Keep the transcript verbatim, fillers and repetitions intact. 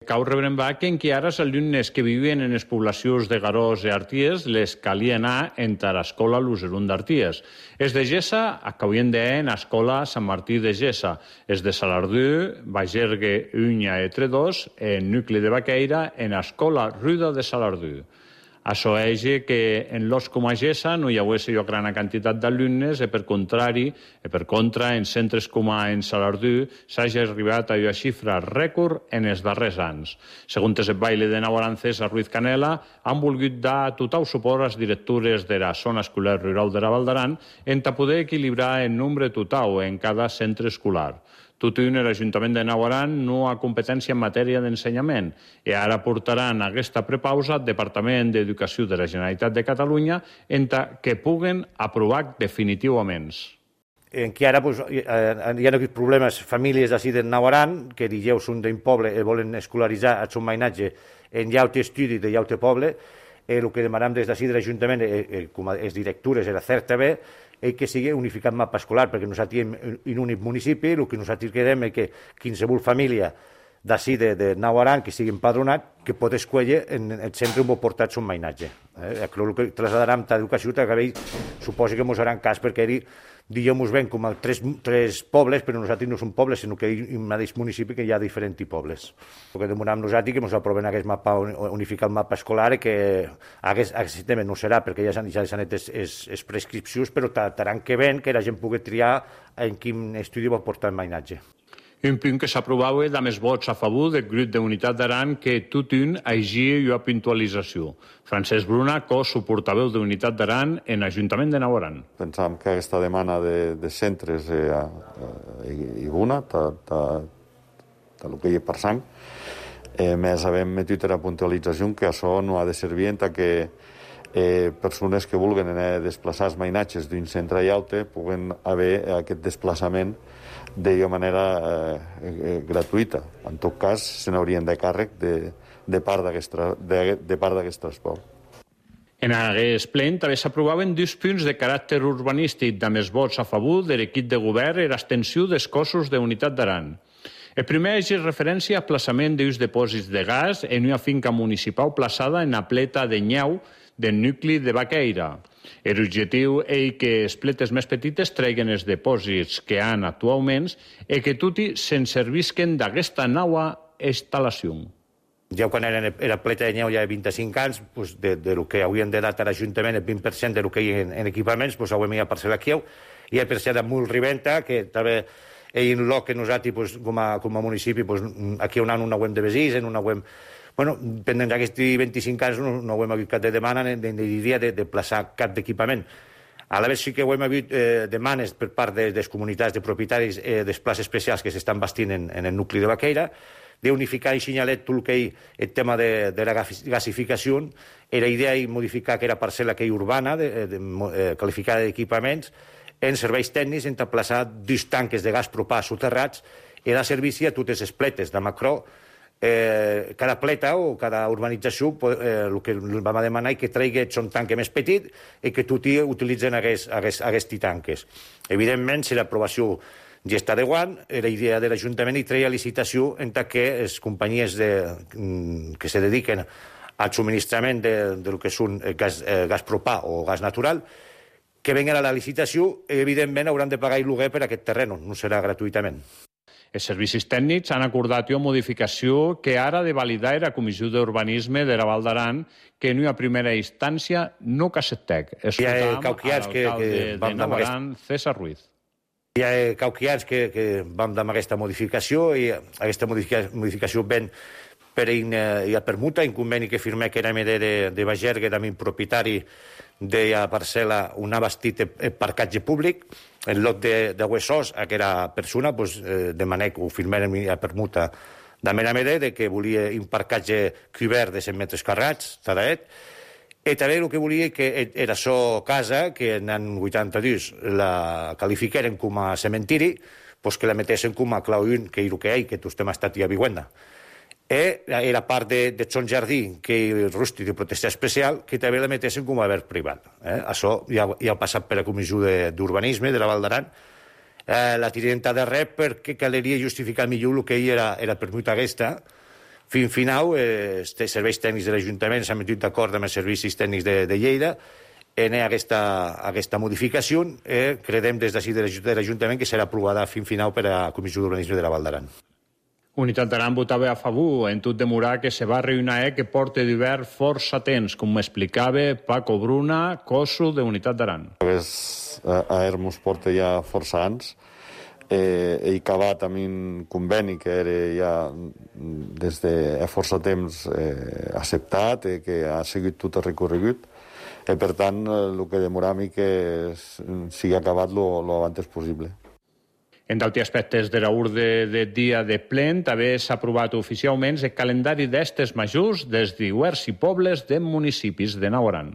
cau rebrembar que encara els alumnes que vivien en les poblacions de Garós i Arties les calia anar entre l'escola Luserun d'Arties. Els de Gessa acabarien d'anar en l'escola Sant Martí de Gessa. Els de Salardú, Bagergue, Unya i Tredós, en nucli de Baqueira, en l'escola Ruda de Salardú. Això és que en los com a Gessa no hi hagués jo gran quantitat d'alumnes i per contrari, i per contra, en centres com a en Salardú s'hagi arribat a una xifra rècord en els darrers anys. Segons el baile de Navarán César Ruiz Canela, han volgut dar total suport a les directures de la zona escolar rural de la Val d'Aran en poder equilibrar el nombre total en cada centre escolar. Tot i un, l'Ajuntament de Navarán no ha competència en matèria d'ensenyament i ara portaran aquesta prepausa al Departament d'Educació de la Generalitat de Catalunya en que puguen aprovar definitivament. En que ara pues, hi ha problemes, famílies d'ací de Navarán, que dijous són d'un poble i volen escolaritzar el seu mainatge en llaute estudi de llaute poble, el que demanem des d'ací de l'Ajuntament, com a directures, era certa bé, és que sigui unificat mapa escolar, perquè nosaltres en un únic municipi, el que nosaltres querem és que qualsevol família d'ací de, de Navarán, que sigui empadronat, que pot escollir en el centre on vol portar el seu mainatge. Eh? El que traslladarem a l'educació, que suposo que ens faran cas, perquè ell, diguem-nos ben, com a tres, tres pobles, però nosaltres no som pobles, sinó que hi ha un mateix municipi que hi ha diferents pobles. El que demanem nosaltres que ens aproven aquest mapa, unificar el mapa escolar, i que aquest, aquest tema no serà, perquè ja s'han ja anat les prescripcions, però taran que ven que la gent pugui triar en quin estudi vol portar el mainatge. Un punt que s'aprovava amb els vots a favor del grup d'Unitat d'Aran que tot un hagi una puntualització. Francesc Bruna, cos suportaveu d'Unitat d'Aran en l'Ajuntament de Navarán. Pensam que aquesta demanda de, de centres és eh, eh, bona, del que hi ha per sang. Eh, més havem metut la puntualització que això no ha de servir en que eh, persones que vulguin anar a desplaçar els mainatges d'un centre a altre puguen haver aquest desplaçament d'una manera eh, eh, gratuïta. En tot cas, se n'haurien de càrrec de, de part d'aquest transport. En aquest ple també s'aprovaven dos punts de caràcter urbanístic amb els vots a favor de l'equip de govern i l'extensió dels cossos d'Unitat d'Aran. El primer és referència a plaçament d'uns dipòsits de gas en una finca municipal plaçada en la pleta de Nyau del nucli de Baqueira. L'objectiu és que les pletes més petites treguin els dipòsits que han actualment i que tots se'n servisquen d'aquesta nova instal·lació. Ja quan era la pleta de Nyau ja de vint-i-cinc anys, pues, de, de lo que haurien de dar a l'Ajuntament el vint per cent de lo que hi ha en, en equipaments, pues, haurem de parcel·la aquí. Hi ha parcel·la molt riventa, que també és un lloc que nosaltres, pues, com, a, com a municipi, pues, aquí on no ho hem de vesir, en una web... Bueno, pendent d'aquests vint-i-cinc anys no, no ho hem hagut cap de demanda ni de, de, de, de plaçar cap d'equipament. A la vegada sí que ho hem hagut eh, demanes per part de, de les comunitats de propietaris eh, dels plats especials que s'estan bastint en, en el nucli de Baqueira, d'unificar i senyalet tot el que hi el tema de, de la gasificació, i la idea és modificar aquella parcel·la que hi urbana, de, de, de, qualificada d'equipaments, en serveis tècnics, en plaçar dos tanques de gas propà soterrats i dar servici a totes les pletes de macro. Eh, cada pleta o cada urbanització eh, el que vam demanar és que tregui un tanque més petit i que tots utilitzen aquests tanques. Evidentment, si l'aprovació ja està de guant, la idea de l'Ajuntament és treure licitació en què les companyies de, que se dediquen al subministrament de, del que són gas, eh, gas propà o gas natural, que venguen a la licitació i evidentment hauran de pagar el lloguer per aquest terreny, no serà gratuïtament. Els servicis tècnics han acordat una modificació que ara ha de validar la Comissió d'Urbanisme de la Val d'Aran, que en una primera instància no cassetec. Escoltam a l'alcalde de Navarán, César Ruiz. Hi ha cauquians que, que vam dar aquesta modificació i aquesta modificació ven per una permuta, un conveni que firmé que era M D de, de Bagergue, també un propietari de la parcel·la on ha bastit el parcatge públic. El lot de, de Huesos, aquella persona, pues, eh, demané que ho firmaren la permuta de M D de que volia un parcatge cobert de cent metres carrats, tadaet. I també el que volia que era so casa, que en l'any vuitanta-dos la qualifiqueren com a cementiri, pues que la metessin com a clau un, que és el que hi ha, que tots hem estat a Vihuenda. I la part de, de son jardí, que és rústic de protecció especial, que també la metessin com a verd privat. Eh? Això ja, ja ha passat per la Comissió d'Urbanisme de la Val d'Aran. Eh, la tirenta de res perquè caldria justificar millor el que hi era, era permuta aquesta, Fins final, eh, els serveis tècnics de l'Ajuntament s'han metut d'acord amb els servicis tècnics de, de Lleida en aquesta, aquesta modificació. Eh, credem des d'ací de l'Ajuntament que serà aprovada fins final per a la Comissió d'Urbanisme de la Val d'Aran. Unitat d'Aran votava a favor en tot demorar que se va reunir que porta d'hivern força temps, com m'explicava Paco Bruna, coso de Unitat d'Aran. A Hermos porta ja força anys. Eh, he acabat amb un conveni que era ja des de força temps eh, acceptat, eh, que ha seguit tot el recorregut. I per tant, el que demoram i que sigui acabat lo antes possible. En d'altres aspectes de l'ordre del dia de plen, també s'ha aprovat oficialment el calendari d'estes majors dels diversos pobles de municipis de Nau Aran.